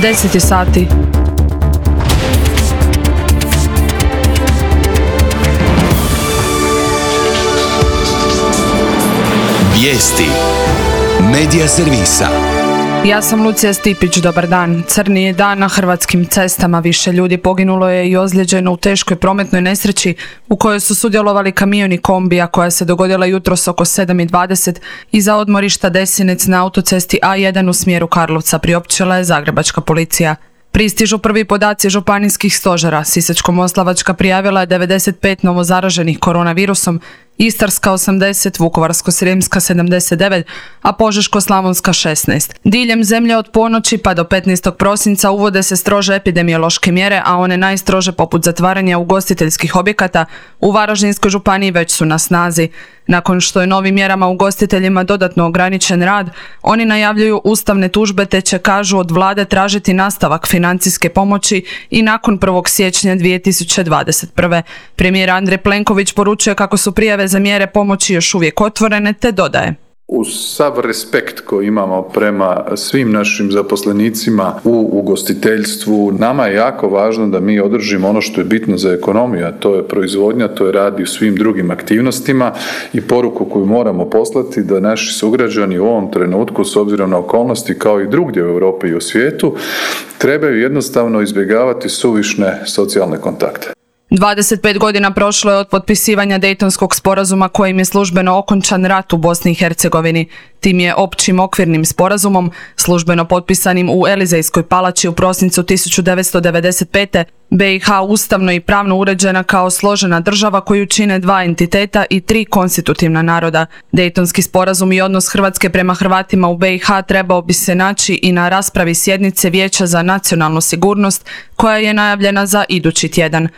10 sati. Vijesti Medija servisa. Ja sam Lucija Stipić, dobar dan. Crni je dan na hrvatskim cestama. Više ljudi poginulo je i ozlijeđeno u teškoj prometnoj nesreći u kojoj su sudjelovali kamion i kombija koja se dogodila jutros oko 7:20 iza odmorišta Desinec na autocesti A1 u smjeru Karlovca, priopćila je zagrebačka policija. Pristižu prvi podaci županijskih stožera. Sisačko-moslavačka prijavila je 95 novozaraženih koronavirusom, Istarska 80, Vukovarsko-srijemska 79, a Požeško-slavonska 16. Diljem zemlje od ponoći pa do 15. prosinca uvode se strože epidemiološke mjere, a one najstrože poput zatvaranja ugostiteljskih objekata u Varaždinskoj županiji već su na snazi. Nakon što je novim mjerama ugostiteljima dodatno ograničen rad, oni najavljuju ustavne tužbe te će, kažu, od vlade tražiti nastavak financijske pomoći i nakon 1. siječnja 2021. Premijer Andrej Plenković poručuje kako su prijave za mjere pomoći još uvijek otvorene, te dodaje: Uz sav respekt koji imamo prema svim našim zaposlenicima u ugostiteljstvu, nama je jako važno da mi održimo ono što je bitno za ekonomiju, a to je proizvodnja, to je rad i u svim drugim aktivnostima, i poruku koju moramo poslati da naši sugrađani u ovom trenutku, s obzirom na okolnosti kao i drugdje u Europi i u svijetu, trebaju jednostavno izbjegavati suvišne socijalne kontakte. 25 godina prošlo je od potpisivanja Dejtonskog sporazuma kojim je službeno okončan rat u Bosni i Hercegovini. Tim je općim okvirnim sporazumom, službeno potpisanim u Elizejskoj palači u prosincu 1995. BiH ustavno i pravno uređena kao složena država koju čine 2 entiteta i 3 konstitutivna naroda. Dejtonski sporazum i odnos Hrvatske prema Hrvatima u BiH trebao bi se naći i na raspravi sjednice Vijeća za nacionalnu sigurnost koja je najavljena za idući tjedan.